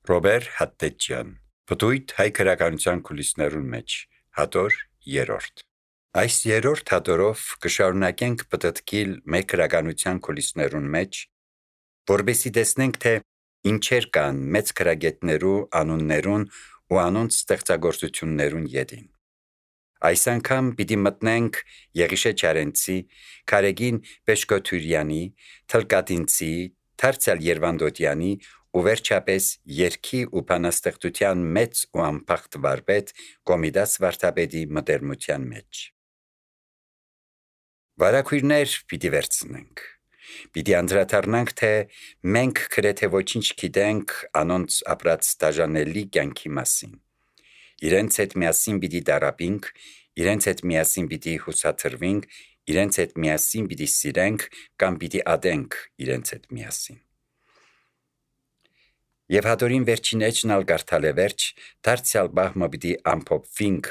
Ռոբեր Հատտեջյան, Պտույտ հայ քրականության կուլիսներուն մեջ, հատոր երրորդ։ Այս երրորդ հատորով կշարունակենք պտտկիլ մեր քրականության կուլիսներուն մեջ, որբեսի տեսնենք, թե ինչեր կան մեծ քրագետներու անուններուն ու անոնց ստեղծագործություններուն ետին։ Այս անգամ պիտի մտնենք Եղիշե Չարենցի, Քարեգին Պեշկոթուրյանի, Թլկատինցի, Թարցալ Երվանդոտյանի ու վերջապես երգի ու բանաստեղծության մեծ ու անփախտ վարպետ Կոմիդաս Վարդապետի մտերմության մեջ։ Վարակույրներ պիտի վերցնենք։ Պիտի անդրադառնանք, թե մենք գրեթե ոչինչ գիտենք անոնց ապրած դաժանելի կյանքի մասին։ Իրենց հետ միասին պիտի տարապինք, իրենց հետ միասին պիտի հուսաթրվենք, իրենց հետ միասին պիտի սիրենք կամ պիտի ատենք իրենց հետ միասին։ Եվ հատորին վերջին էջն ալ գարթալ է վերջ, դարձյալ բահմը պիտի ամփոփվինք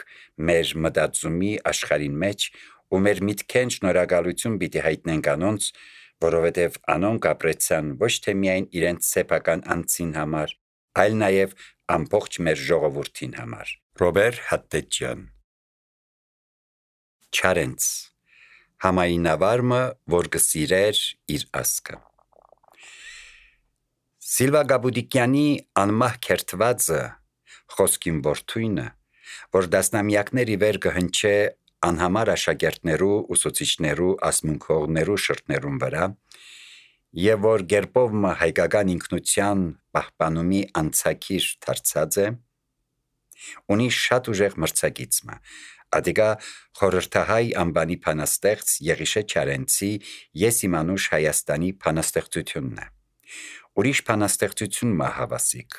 մեր մտածումի աշխարհին մեջ ու մեր միտքեն շնորհակալություն պիտի հայտնենք անոնց, որովհետև անոնք ապրեցան ոչ թե միայն իրենց սեփական անձին համար, այլ նաև ամբողջ մեր ժողովրդին համար։ Ռոբեր Հատտեջյան Չարենց համայնավարը, որ կսիրեր իր ասկը։ Սիլվա Գաբուդիկյանի անմահ քերթվածը խոսքին որդույնը, որ դասնամյակների վեր կհնչե անհամար աշակերտներու, ուսուցիչներու, ասմունքողներու շրթներուն վրա, եւ որ գերպով հայկական ինքնության պահպանումի անցակիր դարձած է, ունի շատ ուժեղ մրցակիցը, ադիգա խորհրդահայ անբանի փանաստեղծ Եղիշե Չարենցի Ես իմանուշ Հայաստանի փանաստեղծությունն է։ Ուրիշ փանաստեղծություն հավասիկ,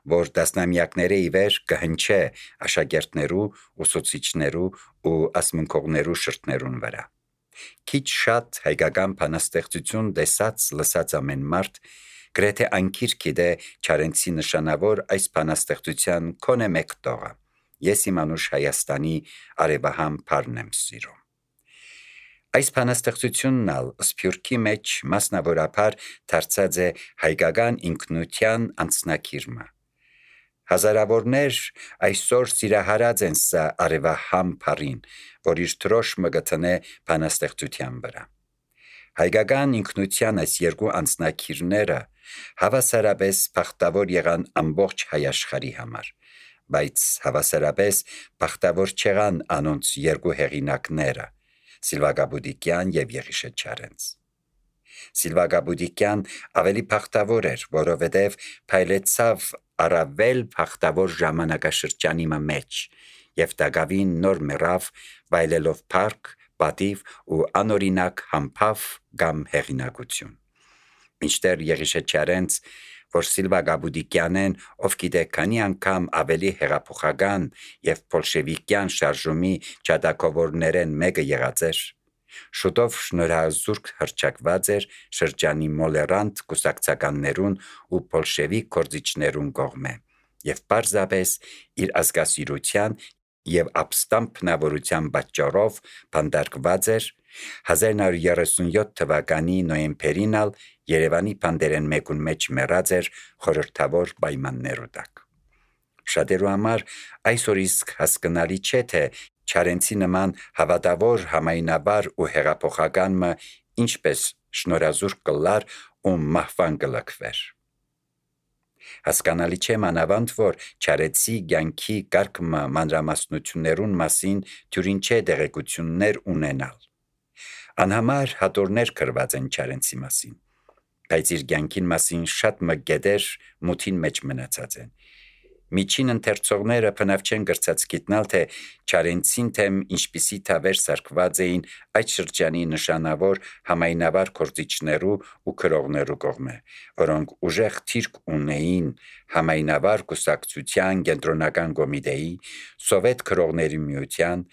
որ դասնամյակները ի վեր կհնչե աշակերտներու, ուսուցիչներու ու ասմունքողներու շրթներուն վրա։ Քիչ շատ հայկական փանաստեղծություն տեսած լսած ամեն մարդ գրեթե անկիր գիտե Չարենցի նշանավոր այս փանաստեղծության քոնե մեկ տողը։ Ես իմանուշ Հայաստանի արևահամ փարն եմ սիրում։ Այս փանաստեղծությունն ալ սփյուռքի մեջ մասնավորապես դարձած է հայկական ինքնության անձնակիրը։ Հազարավորներ այսօր սիրահարած են սա արևահամ փարին, որ իր դրոշը գտնե փանաստեղծության վրա։ Հայկական ինքնության այս երկու անձնակիրները հավասարապես բախտավոր եղան ամբողջ հայ աշխարհի համար, բայց հավասարապես բախտավոր չեղան անոնց երկու հեղինակները՝ Սիլվա Գաբուդիկյան եւ Եղիշե Չարենց։ Սիլվա Գաբուդիկյան ավելի բախտավոր էր, որովհետև փայլեցավ առավել բախտավոր ժամանակաշրջանի մեջ եւ դակավին նոր մեռավ վայելելով փառք, պատիվ ու անօրինակ համբավ կամ հեղինակություն։ Մինչդեռ Եղիշե Չարենց, որ Սիլվա Գաբուդիկյանեն, ով գիտե քանի անգամ ավելի հեղափոխական եւ բոլշևիկյան շարժումի ճատակովորներեն մեկը եղած էր, շուտով շնորհազուրկ հռչակված էր շրջանի մոլերանտ կուսակցականներուն ու բոլշևիկ գործիչներուն կողմէ եւ պարզապես իր ազգասիրության եւ ապստամբնավորության պատճառով բանդարկված էր 1937 թվականի նոյեմբերին ալ Երևանի բանդերեն մեկուն մեջ մեռած էր խորհրդավոր պայմաններու տակ։ Շատերու համար այսօր իսկ հասկանալի չէ, թե Չարենցի նման հավատավոր համայնաբար ու հեղափոխականը ինչպես շնորհազուրկ կլար ու մահվան կլքվեր։ Հասկանալի չէ մանավանդ, որ Չարենցի կյանքի կարգը մանրամասնություններուն մասին թյուրին չէ տեղեկություններ ունենալ։ Անհամար հատորներ գրված են Չարենցի մասին, բայց իր կյանքին մասին շատ մգեդեր մութին մեջ մնացած են։ Միջին ընթերցողները բնավ չեն գրծած գիտնալ, թե Չարենցին թեմ ինչպիսի թավեր սարքված էին այդ շրջանի նշանավոր համայնավար գործիչներու ու քրողներու կողմէ, որոնք ուժեղ թիրք ունեին համայնավար կուսակցության կենտրոնական կոմիտեի, սովետ քրողների միության,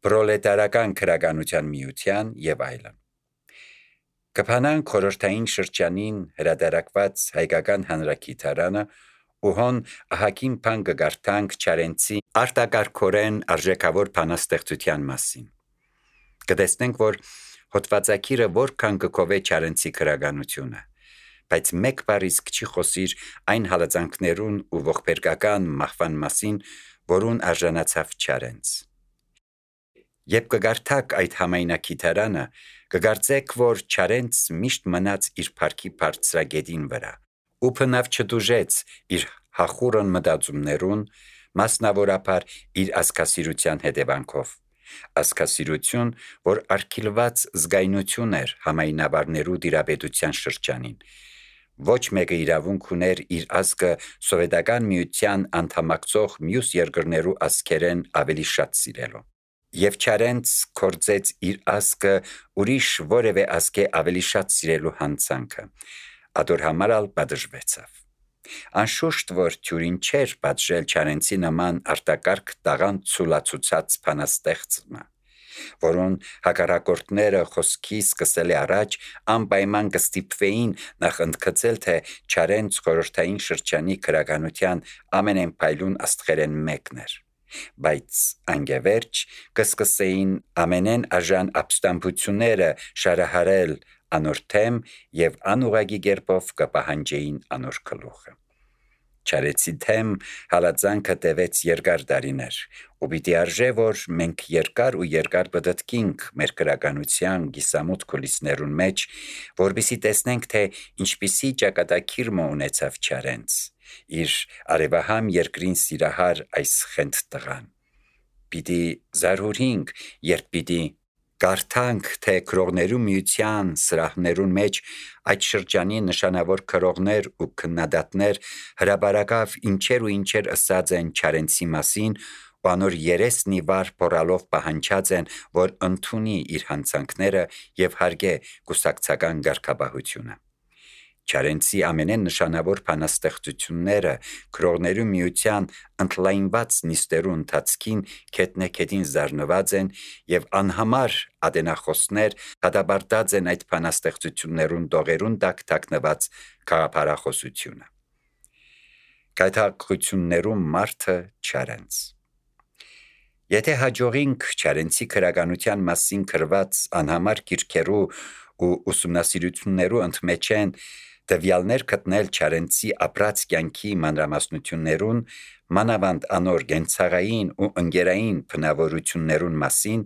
պրոլետարական քրականության միության եւ այլն։ Կփանանք խորհրդային շրջանին հրատարակված հայկական հանրագիտարանը ու հոն ահագին բան կգարթանք Չարենցի արտակարգորեն արժեքավոր բանաստեղծության մասին։ Կտեսնենք, որ հոդվածակիրը որքան կկովե Չարենցի քրականությունը, բայց մեկ բառ իսկ չի խոսիր այն հալածանքներուն ու ողբերգական մահվան մասին, որուն արժանացավ Չարենց։ Երբ կգարթակ այդ համայնակիթարանը, կգարծեք, որ Չարենց միշտ մնաց իր փառքի բարձրագետին վրա, ու բնավ չդուժեց իր հախուռն մտածումներուն, մասնավորապես իր ազգասիրության հետևանքով։ Ազգասիրություն, որ արգելված զգայնություն էր համայնավարներու դիրապետության շրջանին։ Ոչ մեկը իրավունք ուներ իր ազգը սովետական միության անդամակցող մյուս երկրներու ազգերեն ավելի շատ սիրելու։ Եվ Չարենց կործեց իր ազգը ուրիշ որևէ ազգե ավելի շատ սիրելու հանցանքը, ադոր համար ալ պատժվեցավ։ Անշուշտ, որ թյուրին չէր պատժել Չարենցի նման արտակարգ տաղան ցուլացուցած բանաստեղծը, որոն հակառակորդները խոսքի սկսելի առաջ անպայման կստիպվեին նախ ընդգծել, թե Չարենց խորհրդային շրջանի քրագանության ամենենփայլուն աստղերեն մեկն էր, բայց անգևերջ կսկսեին ամենեն արժան ապստամբությունները շարահարել անոր թեմ եւ անուղագի կերպով կպահանջեին անոր գլուխը։ Չարենցի թեմ հալածանքը տևեց երկար տարիներ, ու պիտի արժե, որ մենք երկար ու երկար բդտկինք մեր քրագանության գիսամուտ կուլիսներուն մեջ, որպեսզի տեսնենք, թե ինչպիսի ճակատագիրը ունեցավ Չարենց, իր արևահամ երկրին սիրահար այս խենթ տղան։ Պիտի զարհուրինք, երբ պիտի կարդանք, թե քրողներու միության սրահներուն մեջ այդ շրջանի նշանավոր քրողներ ու քննադատներ հրաբարակավ ինչեր ու ինչեր ըսած են Չարենցի մասին, ու անոր երեսնի վար փորալով պահանջած են, որ ընդունի իր հանցանքները եւ հարգե կուսակցական ղարքաբահությունը։ Չարենցի ամենեն նշանավոր բանաստեղծությունները քրողներու միության ընդլայնված նիստերու ընթացքին քետնեքեդին զարնված են եւ անհամար ադենախոսներ հադաբարտած են այդ բանաստեղծություններուն դողերուն տակ թաքնված քաղաքարախոսությունը։ Գայթակղություններու մարդը Չարենց։ Եթե հաջողինք Չարենցի քրագանության մասին գրված անհամար գիրքերու ու ուսումնասիրություններու ընդմեջեն տվյալներ գտնել Չարենցի ապրած կյանքի մանրամասնություններուն, մանավանդ անոր գենցաղային ու ընկերային բնավորություններուն մասին,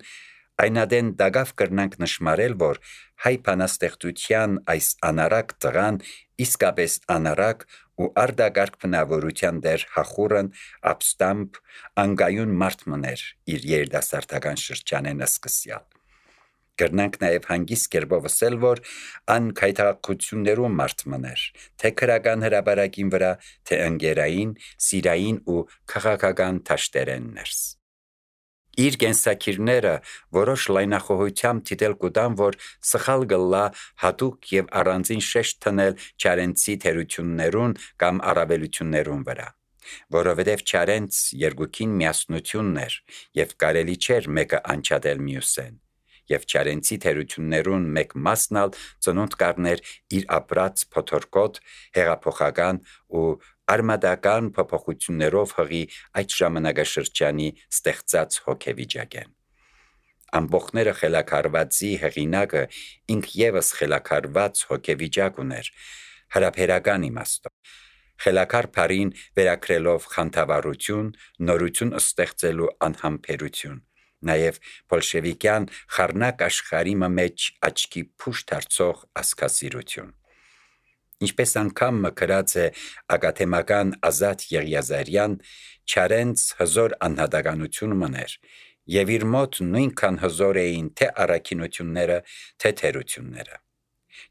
այնադեն դագավ կրնանք նշմարել, որ հայ բանաստեղծության այս անարակ տղան իսկապես անարակ ու արդագարգ բնավորության դեր հախուռն, ապստամբ, անգայուն մարդ մներ իր երիտասարդական շրջանեն սկսյալ։ Կրնանք նաև հանգիստ կերպով ասել, որ ան գայթակղություններու մարդ մներ, թե քրական հրաբարակին վրա, թե ընկերային, սիրային ու քաղաքական թաշտերեն ներս։ Իր կենսակիրները որոշ լայնախոհությամբ դիտել կուտան, որ սխալ գլա հատուկ եւ առանձին շեշտ տնել Չարենցի թերություններուն կամ առավելություններուն վրա, որովհետև Չարենց երկուքին միասնությունն էր եւ կարելի չէր մեկը անչադել մյուսեն, եւ Չարենցի թերություններուն մեկ մասն ալ ծնունդ կառներ իր ապրած փոթորկոտ, հեղափոխական ու արմադական փոփոխություններով հղի այդ ժամանակաշրջանի ստեղծած հոգեվիճակեն։ Ամբողջները խելակարվածի հեղինակը ինք եւս խելակարված հոգեվիճակ ուներ, հարաբերական իմաստով։ Խելակար բարին վերակրելով խանդավառություն, նորություն ստեղծելու անհամբերություն, նաև բոլշևիկյան խառնակ աշխարհի մեջ աչքի փուշ դարձող ազգասիրություն։ Ինչպես անգամ մկրած է ակադեմական Ազատ Եղիազարյան, Չարենց հզոր անհատականություն մներ, եւ իր մոտ նույնքան հզոր էին թե առաքինությունները, թե թերությունները։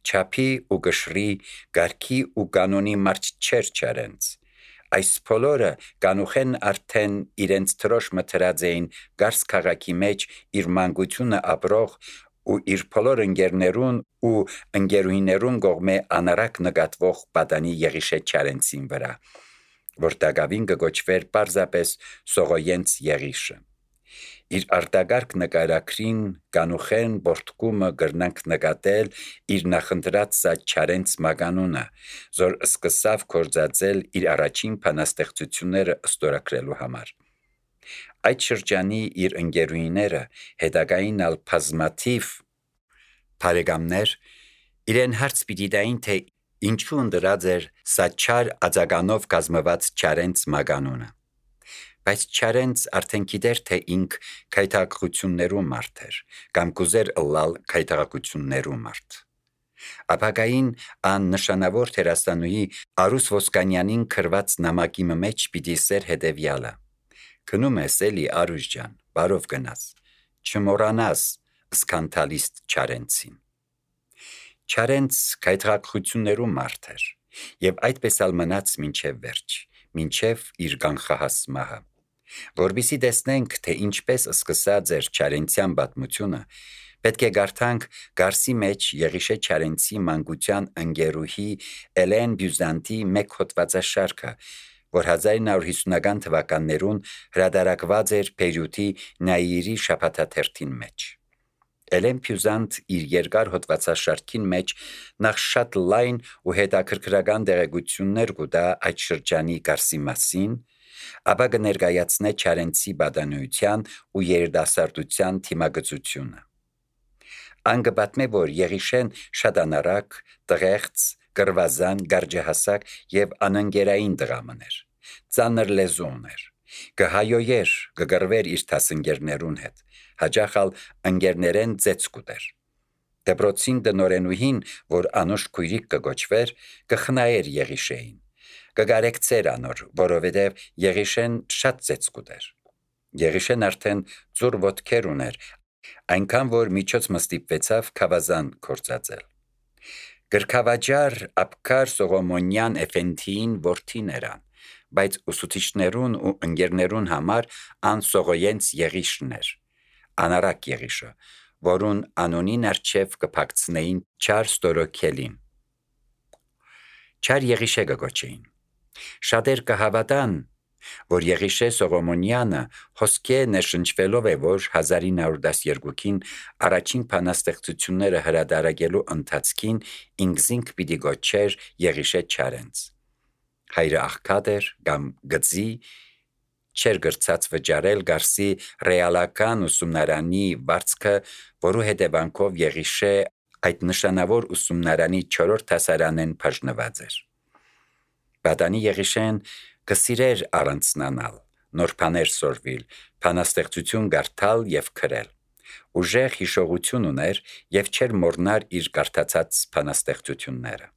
Չափի ու գշրի, գարքի ու կանոնի մարդ չէր Չարենց։ Այս բոլորը կանուխեն արդեն իրենց թրոշ մտրած էին Գարս քաղաքի մեջ իր մանկությունը ապրող ու իր բոլոր ընկերներուն ու ընկերուհիներուն կողմէ անարակ նկատվող պատանի Եղիշե Չարենցին վրա, որ դակավին կգոչվեր պարզապես Սողոյենց Եղիշը։ Իր արտագարգ նկարագրին կանուխեն բորտկումը կրնանք նկատել իր նախընտրած Չարենց մականունը, որ սկսավ կործածել իր առաջին բանաստեղծությունները ստորագրելու համար։ Այդ շրջանի իր ընկերուհիները հետագային բազմաթիվ բարեկամներ իրեն հարց պիտի տային, թե Ինչու ընդրած էր սա չար ածականով կազմված Չարենց մագանունը։ Բայց Չարենց արդեն գիտեր, թե ինք քայթակղություններու մարդ էր, կամ կուզեր ըլլալ քայթակղություններու մարդ։ Ապագային ան նշանավոր թերաստանուի Արուս Ոսկանյանին քրված նամակի մեջ պիտի սեր հետևյալը. «Գնում ես էլի Արուս ջան, բարով գնաս, չմոռանաս սկանդալիստ Չարենցին»։ Չարենց քայթակղություններու մարդ էր, եւ այդպես ալ մնաց մինչեւ վերջ, մինչեւ իր կանխահաս մահը։ Որպեսզի տեսնենք, թե ինչպես սկսած էր Չարենցյան պատմությունը, պետք է գարթանք Գարսի մեջ Եղիշե Չարենցի մանկության ընկերուհի Էլեն Բյուզանտի մեկ հոդվածաշարքը, որ 1950-ական թվականներուն հրատարակված էր Բեյրութի Նաիրի շաբաթաթերթին մեջ։ Էլեն Բյուզանտ իր երկար հոդվածաշարքին մեջ նախ շատ լայն ու հետաքրքրական տեղեկություններ կուտա այդ շրջանի Գարսի մասին, ապա կներկայացնե Չարենցի պատանուության ու երիտասարդության թիմագծությունը։ Ան կպատմե, որ Եղիշեն շատ անարակ, տղեղծ, կռվազան, գարջահասակ եւ անընկերային տղամն էր, ծանր լեզու ուներ, կհայոյեր, կգռվեր իր դասընկերներուն հետ, հաճախ ալ ընկերներեն ծեծ կուտեր։ Դպրոցին տնօրենուհին, որ անուշ քույրիկ կգոչվեր, կխնայեր Եղիշեին, կգարեկցեր անոր, որովհետև Եղիշեն շատ ծեծ կուտեր։ Եղիշեն արդեն ծուր ոտքեր ուներ, այնքան որ միջոց մստիպվեցավ քավազան կործածել։ Գրքավաճառ Աբկար Սողոմոնյան Էֆենդիին որդին երան, բայց ուսուցիչներուն ու ընկերներուն համար ան Սողոյենց Եղիշն էր, անարակ Եղիշը, որուն անոնին արչև կփակցնեին չար ստորոքելին։ Չար Եղիշե կգոչեին։ Շատեր կհավատան, որ Եղիշե Սողոմոնյանը հոսքե նշնչվելով է, որ 1912-ին առաջին բանաստեղծությունները հրատարակելու ընթացքին ինքզինք պիտի գոչեր Եղիշե Չարենց։ Հայրը աղքատ էր կամ գծի, չեր գրծած վճարել Գարսի ռեալական ուսումնարանի վարձքը, որու հետևանքով Եղիշե այդ նշանավոր ուսումնարանի 4-րդ դասարանեն բաժնված էր։ Պատանի Եղիշեն կսիրեր առանցնանալ, նոր բաներ սորվիլ, բանաստեղծություն կարդալ եւ գրել։ Ուժեղ հիշողություն ուներ եւ չէր մոռնար իր կարդացած բանաստեղծությունները։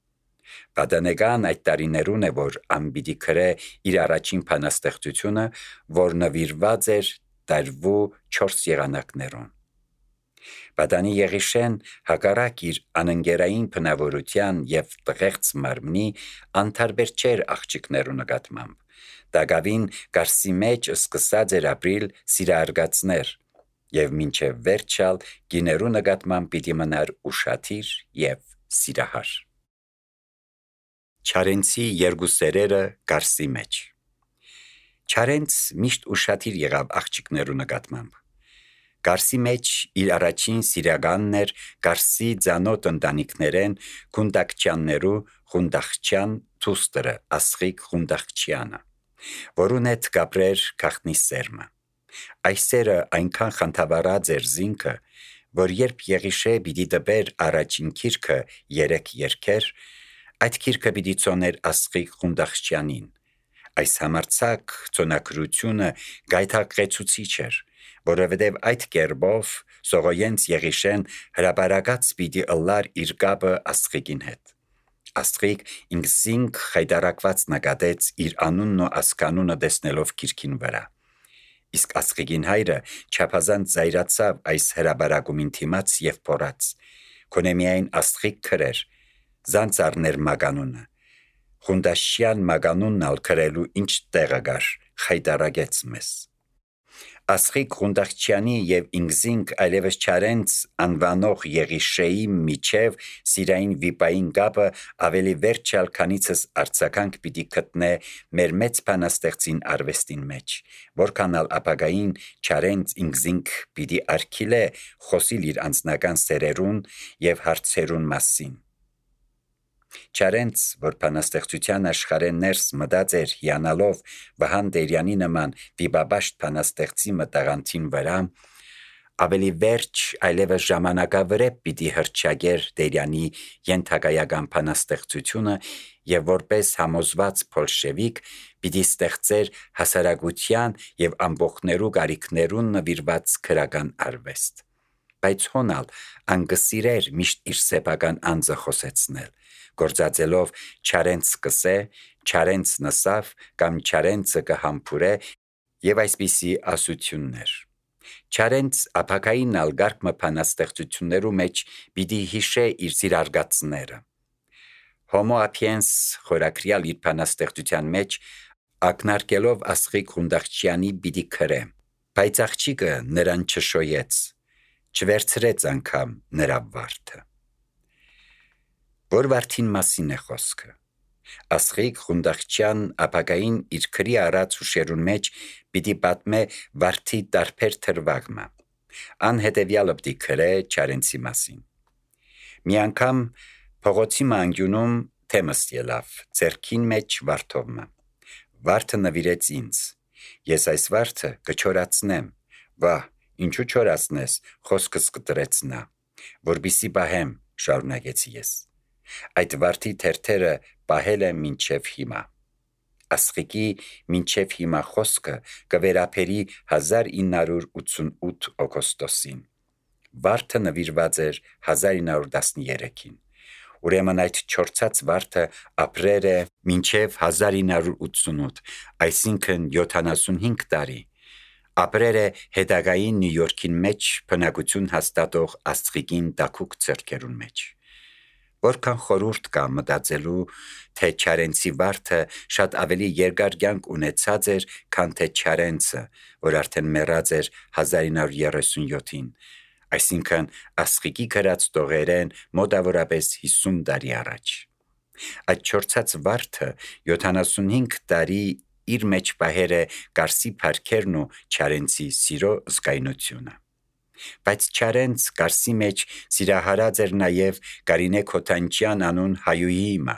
Պատանեկան այդ տարիներուն է, որ անպիտի գրե իր առաջին բանաստեղծությունը, որ նվիրված էր տարվու 4 եղանակներուն։ Պատանի Եղիշեն հակառակ իր անընկերային բնավորության եւ տղեղծ մարմնի անտարբեր չէր աղջիկներու նկատմամբ։ Դակավին Գարսի մեջ սկսած էր ապրիլ սիրահարգացներ եւ մինչեւ վերջալ գիներու նկատմամբ պիտի մնար ուշադիր եւ սիրահար։ Չարենցի երկու սերերը Գարսի մեջ։ Չարենց միշտ ուշադիր եղավ աղջիկներու նկատմամբ։ Գարսի մեջ իր առաջին սիրականն էր Գարսի ծանոթ ընտանիքներեն Խունդակչյաններու Խունդախչյան դուստրը Ասղիկ Խունդախչյանը, որուն հետ կապրեր գախնի սերմը։ Այս սերը այնքան խանդավառած էր զինքը, որ երբ Եղիշե պիտի տպեր առաջին գիրքը 3 երգեր, այդ գիրքը պիտի ծոներ Ասղիկ Խունդախչյանին։ Այս համարձակ ծոնակրությունը գայթակղեցուցիչ էր, որովհետև այդ կերպով Սողոյենց Եղիշեն հրապարակած պիտի ըլլար իր կապը Ասղիկին հետ։ Ասղիկ ինքզինք խայտարակված նկատեց իր անունն ու ասկանունը տեսնելով գիրքին վրա։ Իսկ Ասղիկին հայրը չափազանց զայրացավ այս հրապարակումին թիմաց եւ փորած։ Քոնե միայն Ասղիկ քրեր, զանց առներ մագանունը։ Խունդաշյան մագանունն ալ քրելու ինչ տեղը գար, խայտարակեց մեզ։ Ասղիկ Խունդախչյանի եւ ինքզինք այլևս Չարենց անվանող Եղիշեի միջև սիրային վիպային կապը ավելի վերջալ քանիցս արձականք պիտի գտնե մեր մեծ բանաստեղծին արվեստին մեջ, որքան ալ ապագային Չարենց ինքզինք պիտի արգիլե խոսիլ իր անձնական սերերուն եւ հարցերուն մասին։ Չարենց, որ բանաստեղծության աշխարհեն ներս մտած էր հիանալով Վահան Տերյանի նման վիպաբաշտ բանաստեղծի մտաղանթին վրա, Ավելի վերջ այլևս ժամանակավրեպ պիտի հռչակեր Տերյանի ենթակայական բանաստեղծությունը եւ որպես համոզված բոլշևիկ պիտի ստեղծեր հասարակության եւ ամբողջներու կարիքներուն նվիրված քրական արվեստ։ Բայց հոնալ անգսիրեր միշտ իր սեփական անձը խոսեցնել, գործածելով չարենց սկսե, չարենց նսավ կամ չարենցը կհամբուրե եւ այսպիսի ասություններ։ Չարենց ապակային ալգարկ բանաստեղծություններու մեջ պիտի հիշե իր զիրարգացները։ Homo sapiens խորակրյալ իր բանաստեղծության մեջ ակնարկելով Աստղիկ Ղունդաղչյանի պիտի քրե, բայց աղջիկը նրան չշոյեց, չվերցրեց անգամ նրա վարդը։ Որ վարդին մասին է խոսքը։ Աստղիկ Ղունդաղչյան ապակային իր քրի առած հուշերուն մեջ պիտի պատմե վարդի տարբեր թրվագմը։ Անհետևյալը պիտի քրե չարենցի մասին։ Մի անգամ փողոցի մանգյունում թեմս ելավ, ձերքին մեջ վարդովմը։ Վարդը նվիրեց ինձ։ Ես այս վարդը կչորացնեմ։ Վահ, ինչու չորացնես, խոսքս կտրեց նա։ Որպիսի պահեմ, շարունակեցի ես։ Այդ վարդի թերթերը պահել եմ մինչև հիմա։ Աստղիկի մինչև հիմա խոսքը կվերապերի 1988 օգոստոսին։ Վարդը նվիրված էր 1913-ին։ Ուրեմն այդ չորցած վարդը ապրեր է մինչև 1988, այսինքն 75 տարի։ Ապրեր է հետագային Նյու Յորքին մեջ բնակություն հաստատող Աստղիկին տաքուկ ձեռքերուն մեջ։ Որքան խորուրդ կա մտածելու, թե չարենցի վարդը շատ ավելի երկար կյանք ունեցած էր, քան թե չարենցը, որ արդեն մեռած էր 1937-ին, այսինքն Աստղիկի գրած տողերեն մոտավորապես 50 տարի առաջ։ Այդ չորցած վարդը 75 տարի իր մեջ պահեր է Կարսի փառքերն ու չարենցի սիրո զգայնությունը։ Բայց չարենց Կարսի մեջ սիրահարած էր նաև Կարինե Քոթանջյան անուն հայուհիմը,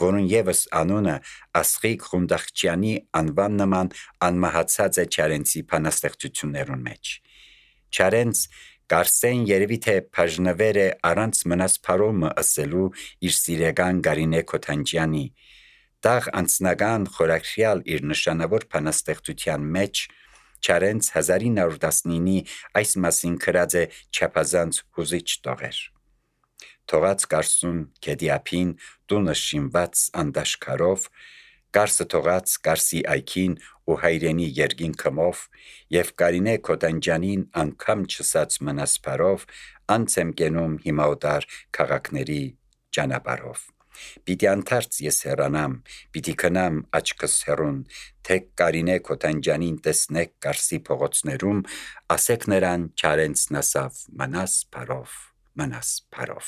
որուն եւս անունը Աստղիկ Ղունդաղչյանի անվան նման անմահացած է չարենցի բանաստեղծություններուն մեջ։ Չարենց Կարսեն երևի թե բաժնվեր է առանց մնաս փարոմը ըսելու իր սիրեգան Կարինե Քոթանջյանի, տաղ անձնական խորակրյալ իր նշանավոր բանաստեղծության մեջ Չարենց 1919-ի այս մասին գրած է չափազանց հուզիչ տողեր։ Թողած Կարսուն գետիափին տունը շինված անդաշկարով, Կարսը թողած Կարսի այքին ու հայրենի երգին քմով եւ Կարինե Քոթանջյանին անգամ չսած մնասպարով անց եմ կենում հիմա օտար քաղաքների ճանապարհով։ Պիտի անթարց ես հեռանամ, պիտի քնամ աչքս հեռուն, թե Կարինե Քոթանջյանին տեսնեք Կարսի փողոցներում, ասեք նրան չարենց նասավ մնաս փարով։